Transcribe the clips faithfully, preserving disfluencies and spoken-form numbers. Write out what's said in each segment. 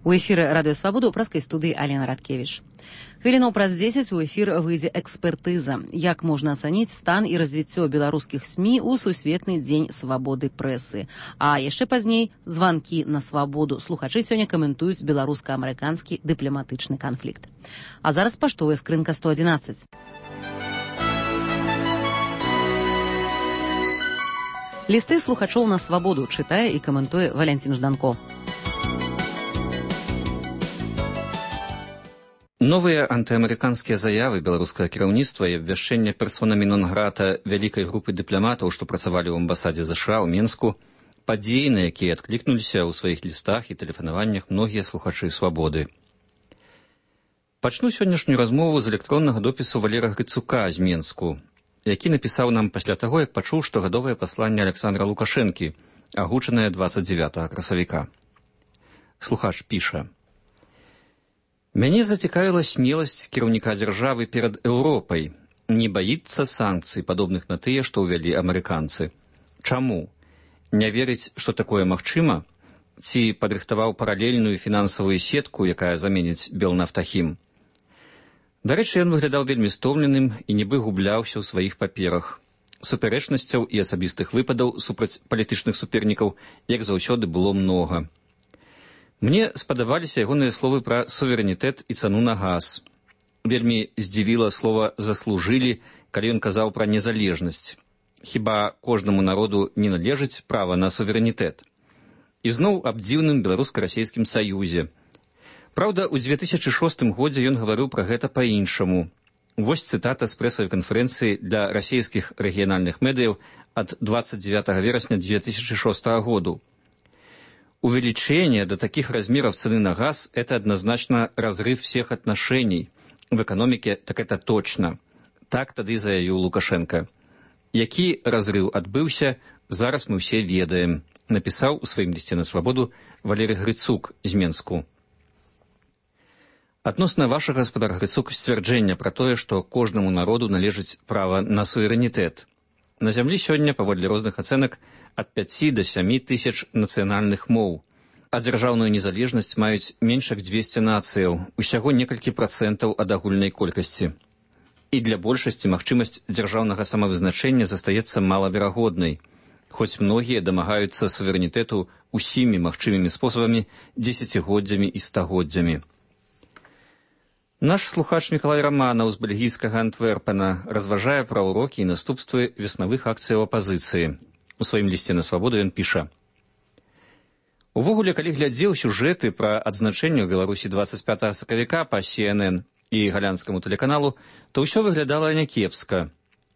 У эфіры радыё Свабода ў праскай студыі Алена Радкевіч. Хвілінаў праз дзесяць у эфір выйдзе экспертыза. Як можна ацаніць стан і развіццё беларускіх СМІ ў сусветны дзень свабоды прэсы. А яшчэ пазней званкі на свабоду. Слухачы сёння каментуюць беларуска-амерыканскі дыпламатычны канфлікт. А зараз паштовая скрынка сто адзінаццаць. Лісты слухачоў на свабоду чытае і каментуе Валянцін Жданко. Новыя антыамерыканскія заявы беларускага кіраўніцтва і абвяшчэнне персонамі нон-грата вялікай групы дыпламатаў, што працавалі ў амбасадзе ЗША ў Менску, падзеі, на якія адклікнуліся ў сваіх лістах і тэлефанаваннях многія слухачы свабоды. Пачну сённяшнюю размову з электроннага допісу Валера Грыцука з Менску, які напісаў нам пасля таго, як пачуў штогадовае пасланне Александра Лукашэнкі, агучанае дваццаць дзевятага красавіка. Слухач піша: «Мяне зацікавіла смеласць кіраўніка дзяржавы перад Еўропай, не баіцца санкцый, падобных на тыя, што ўвялі амерыканцы. Чаму? Не верыць, што такое магчыма? Ці падрыхтаваў паралельную фінансавую сетку, якая заменіць Белнафтахім? Дарэчы, ён выглядаў вельмі стомленым і нібы губляўся ў сваіх паперах. Супярэчнасцяў і асабістых выпадаў супраць палітычных супернікаў, як заўсёды, было многа. Мне спадабаліся ягоныя словы пра суверэнітэт і цану на газ. Вельмі здзівіла слова «заслужылі», калі ён казаў пра незалежнасць. Хіба кожнаму народу не належыць права на суверэнітэт? І зноў аб дзіўным беларуска-расейскім саюзе. Праўда, у дзве тысячы шостым годзе ён гаварыў пра гэта па-іншаму. Вось цытата з прэсавай канферэнцыі для расійскіх рэгіянальных медыяў ад двадцать девятого верасня две тысячи шестого году. Увеличение до таких размеров цены на газ – это однозначно разрыв всех отношений. В экономике так это точно. Так тады заявіў Лукашенко. Які разрыв адбыўся, зараз мы все ведаем, напісаў у сваім лісце на свабоду Валерый Грыцук з Менску. Адносна вашага, гаспадар Грыцук, сцвярджэння пра тое, што кожнаму народу належыць права на суверэнітэт. На зямлі сёння, паводле розных ацэнак, ад пяці да сямі тысяч нацыянальных моў, а дзяржаўную незалежнасць маюць менш як дзвесце нацыяў, усяго некалькі працэнтаў ад агульнай колькасці. І для большасці магчымасць дзяржаўнага самавызначэння застаецца малаверагоднай, хоць многія дамагаюцца суверэнітэту усімі магчымымі спосабамі дзесяцігоддзямі і стагоддзямі. Наш слухач Мікалай Раманаў з бельгійскага Антверпена разважае пра ўрокі і наступствы веснавых акцыяў апазіцыі. У сваім лісце на свабоду ён піша: «Увогуле, калі глядзеў сюжэты пра адзначэнне ў Беларусі двадцать пятого сакавіка па Си Эн Эн і галянскаму тэлеканалу, то ўсё выглядала някепска.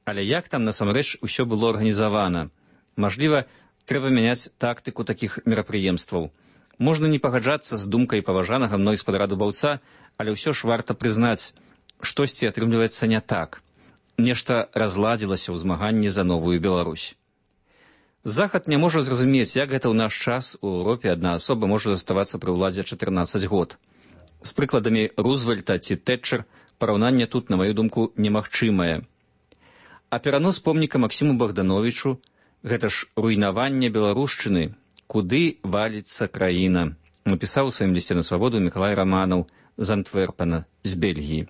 Але як там насамрэч усё было арганізавана? Мажліва, трэба мяняць тактыку такіх мерапрыемстваў. Можна не пагаджацца з думкай паважанага мной спадара Дубаўца, але ўсё ж варта прызнаць, штосьці атрымліваецца не так. Нешта разладзілася ў змаганні за новую Беларусь. Захад не можа зразумець, як гэта ў наш час у Еўропе адна асоба можа заставацца пры ўладзе чатырнаццаць год. З прыкладамі Рузвельта ці Тэтчер параўнанне тут, на маю думку, немагчымае. А перанос помніка Максіму Богдановичу – гэта ж руйнаванне беларушчыны, куды валіцца краіна, напісаў у сваім лісце на свабоду Мікалай Раманаў з Антверпена, з Бельгіі.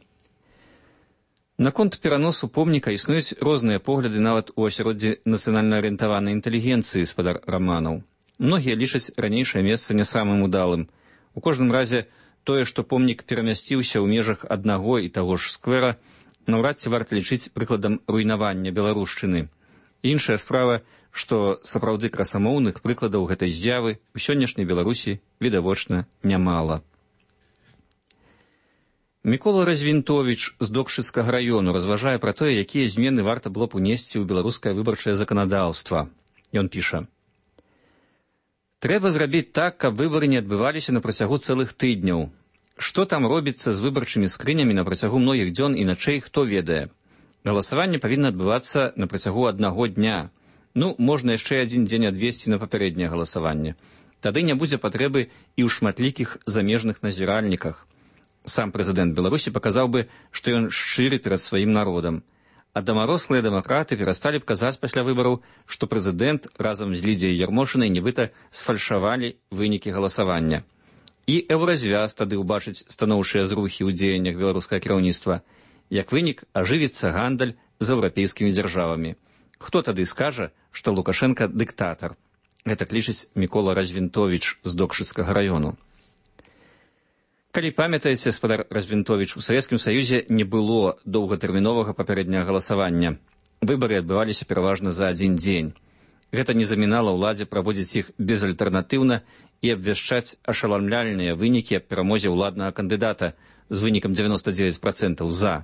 Наконт пераносу помніка існуюць розныя погляды нават у асяроддзі нацыянальна-арыентаванай інтэлігенцыі, спадар Раманаў. Многія лічаць ранейшае месца не самым удалым. У кожным разе тое, што помнік перамясціўся ў межах аднаго і таго ж сквера, наўрад ці варта лічыць прыкладам руйнавання беларушчыны. Іншая справа, што сапраўды красамоўных прыкладаў гэтай з'явы у сённяшняй Беларусі відавочна нямала. Мікола Развінтовіч з Докшыцкага раёну разважае пра тое, якія змены варта было б унесці ў беларускае выбарчае заканадаўства. Ён піша: «Трэба зрабіць так, каб выбары не адбываліся на працягу цэлых тыдняў. Што там робіцца з выбарчымі скрынямі на працягу многіх дзён і начэй, хто ведае. Галасаванне павінна адбывацца на працягу аднаго дня. Ну, можна яшчэ адзін дзень адвесці на папярэдняе галасаванне. Тады не будзе патрэбы і ў шматлікіх замежных назіральніках. Сам прэзідэнт Беларусі паказаў бы, што ён шчыры перад сваім народам. А дамарослыя дэмакраты перасталі б казаць пасля выбараў, што прэзідэнт разам з Лідзіяй Ярмошынай нібыта сфальшавалі вынікі галасавання. І еўразвяз тады ўбачыць станоўчыя зрухі ў дзеяннях беларускага кіраўніцтва. Як вынік, ажывіцца гандаль з еўрапейскімі дзяржавамі. Хто тады скажа, што Лукашенка дыктатар? Гэта лічыць Мікола Развінтовіч з Докшыцкага раёну. Калі памятаеце, спадар Развінтовіч, у Савецкім Саюзе не было доўгатэрміновага папярэдняга галасавання. Выбары адбываліся пераважна за адзін дзень. Гэта не замінала ўладзе праводзіць іх безальтэрнатыўна і абвяшчаць ашаламляльныя вынікі аб перамозе ўладнага кандыдата з вынікам дзевяноста дзевяць працэнтаў «за».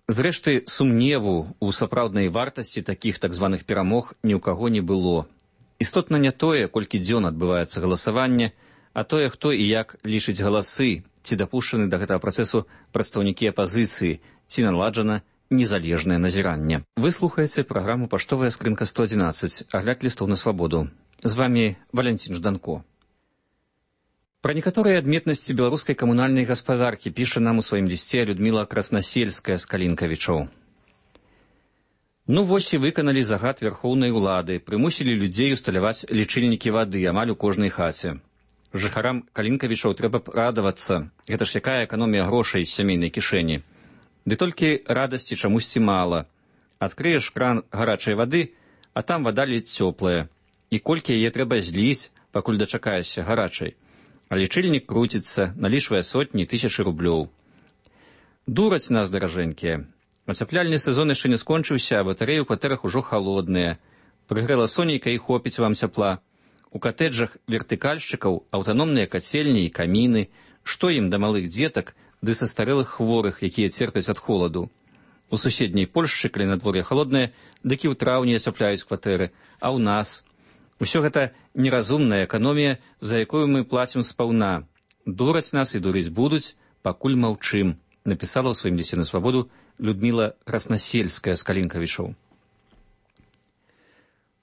Зрэшты, сумневу ў сапраўднай вартасці такіх так званых перамог ні ў каго не было. Істотна не тое, колькі дзён адбываецца галасаванне, а тое, хто і як лічыць галасы, ці дапушчаны да гэтага працэсу прадстаўнікі апазіцыі, ці наладжана незалежнае назіранне. Вы слухаеце праграму «Паштовая скрынка сто адзінаццаць», агляд лістоў на свабоду. З вамі Валянцін Жданко. Пра некаторыя адметнасці беларускай камунальнай гаспадаркі піша нам у сваім лісце Людміла Краснасельская з Калінкавічоў. Ну вось і выканалі загад вярхоўнай улады, прымусілі людзей усталяваць лічыльнікі вады амаль у кожнай хаце. Жыхарам Калінкавічоў трэба б радавацца, гэта ж якая эканомія грошай з сямейнай кішэні. Ды толькі радасці чамусьці мала. Адкрыеш кран гарачай вады, а там вада ледзь цёплая. І колькі яе трэба зліць, пакуль дачакаешся гарачай. А лічыльнік круціцца, налічвае сотні тысячы рублёў. Дураць нас, даражэнькія. Ацяпляльны сезон яшчэ не скончыўся, а батарэі ў кватэрах ужо халодныя. Прыгрэла сонейка і хопіць вам цяпла. У катэджах вертыкальшчыкаў аўтаномныя кацельні і каміны. Што ім да малых дзетак ды састарэлых хворых, якія церпяць ад холаду. У суседняй Польшчы, калі надвор'е халоднае, дык і ў траўні ацяпляюць кватэры, а ў нас... Усё гэта неразумная эканомія, за якую мы плацім спаўна. Дураць нас і дурыць будуць, пакуль маўчым, напісала ў сваім лісце на свабоду Людміла Краснасельская з Калінкавічоў.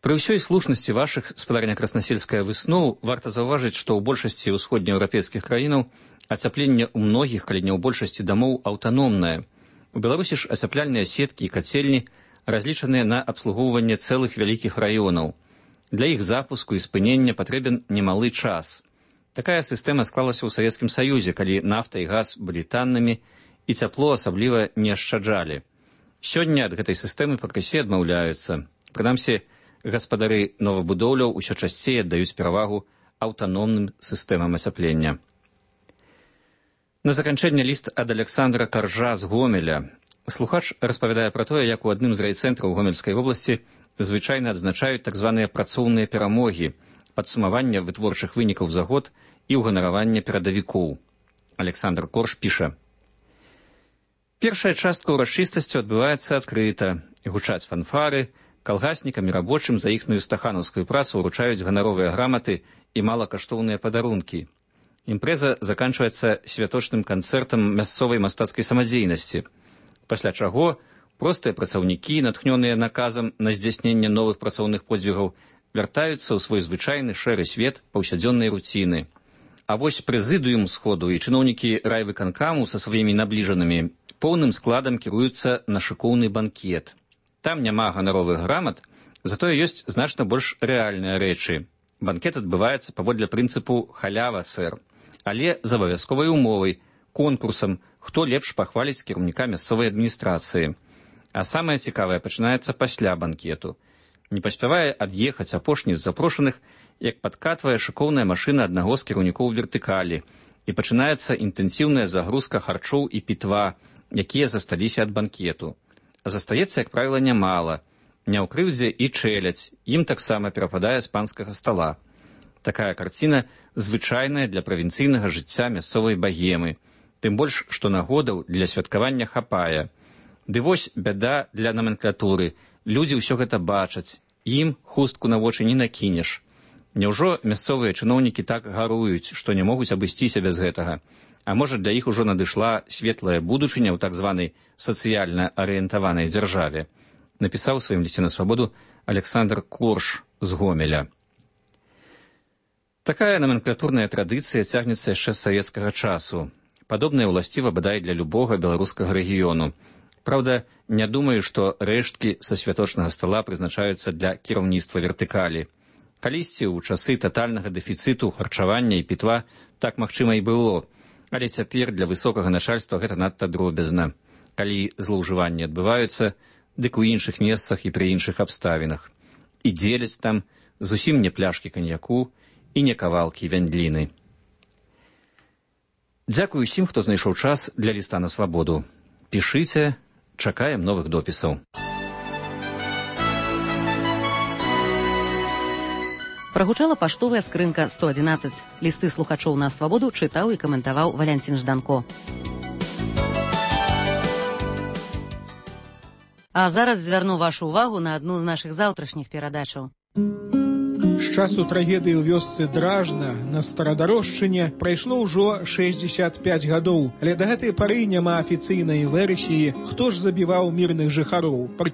Пры ўсёй слушнасці вашых, спадарня Краснасельская, высноў, варта заўважыць, што ў большасці ўсходнееўрапейскіх краінаў ацяпленне ў многіх, калі не ў большасці дамоў, аўтаномнае. У Беларусі ж ацяпляльныя сеткі і кацельні разлічаныя на абслугоўванне цэлых вялікіх раёнаў. Для іх запуску і спынення патрэбен немалы час. Такая сістэма склалася ў Савецкім Саюзе, калі нафта і газ былі таннымі і цяпло асабліва не ашчаджалі. Сёння ад гэтай сістэмы пакрысе адмаўляюцца. Прынамсі, гаспадары новабудоўляў усё часцей аддаюць перавагу аўтаномным сістэмам ацяплення. На заканчэнне ліст ад Александра Каржа з Гомеля. Слухач распавядае пра тое, як у адным з райцэнтраў Гомельскай вобласці звычайна адзначаюць так званыя працоўныя перамогі, падсумавання вытворчых вынікаў за год і ўганаравання перадавікоў. Александр Корж піша. Першая частка ўрачыстасцю адбываецца адкрыта. Гучаць фанфары, калгаснікам і рабочым за іхную стаханаўскую працу ўручаюць ганаровыя граматы і малакаштоўныя падарункі. Імпрэза заканчваецца святочным канцэртам мясцовай мастацкай самадзейнасці, пасля чаго простыя працаўнікі, натхнёныя наказам на здзяйсненне новых працоўных подзвігаў, вяртаюцца ў свой звычайны шэры свет паўсядзённай руціны. А вось прэзідыум сходу і чыноўнікі райвыканкаму са сваімі набліжанымі поўным складам кіруюцца на шыкоўны банкет. Там няма ганаровых грамат, затое ёсць значна больш рэальныя рэчы. Банкет адбываецца паводле прынцыпу «халява, сэр», але з абавязковай умовай, конкурсам, хто лепш пахваліць кіраўніка мясцовай адміністрацыі. А самае цікавае пачынаецца пасля банкету. Не паспявае ад'ехаць апошні з запрошаных, як падкатвае шыкоўная машына аднаго з кіраўнікоў вертыкалі, і пачынаецца інтэнсіўная загрузка харчоў і пітва, якія засталіся ад банкету. А застаецца, як правіла, нямала. Не ў крыўдзе і чэляць, ім таксама перападае з панскага стала. Такая карціна звычайная для правінцыйнага жыцця мясцовай багемы, тым больш, што нагодаў для святкавання хапае. Ды вось бяда для наменклатуры. Людзі ўсё гэта бачаць. Ім хустку на вочы не накінеш. Няўжо мясцовыя чыноўнікі так гаруюць, што не могуць абысціся без гэтага? А можа, для іх ужо надышла светлая будучыня ў так званай сацыяльна арыентаванай дзяржаве? Напісаў у сваім лісце на свабоду Александр Корж з Гомеля. Такая наменклатурная традыцыя цягнецца яшчэ з савецкага часу. Падобная ўласціва бадай для любога беларускага рэгіёну. Праўда, не думаю, што рэшткі са святочнага стала прызначаюцца для кіраўніцтва вертыкалі. Калісьці ў часы татальнага дэфіцыту харчавання і пітва так магчыма і было, але цяпер для высокага начальства гэта надта дробязна. Калі злоўжыванні адбываюцца, дык у іншых месцах і пры іншых абставінах. І дзеляць там зусім не пляшкі каньяку і не кавалкі вяндліны. Дзякую усім, хто знайшоў час для ліста на свабоду. Пішыце, чакаем новых допісаў. Прагучала паштовая скрынка сто адзінаццаць. Лісты слухачоў на свабоду чытаў і каментаваў Валянцін Жданко. А зараз звярну вашу ўвагу на адну з нашых заўтрашніх перадачаў. З часу трагедыі ў вёсцы Дражна на Старадарожчыне прайшло ўжо шэсцьдзесят пяць гадоў, але да гэтай пары няма афіцыйнай версіі, хто ж забіваў мірных жыхароў.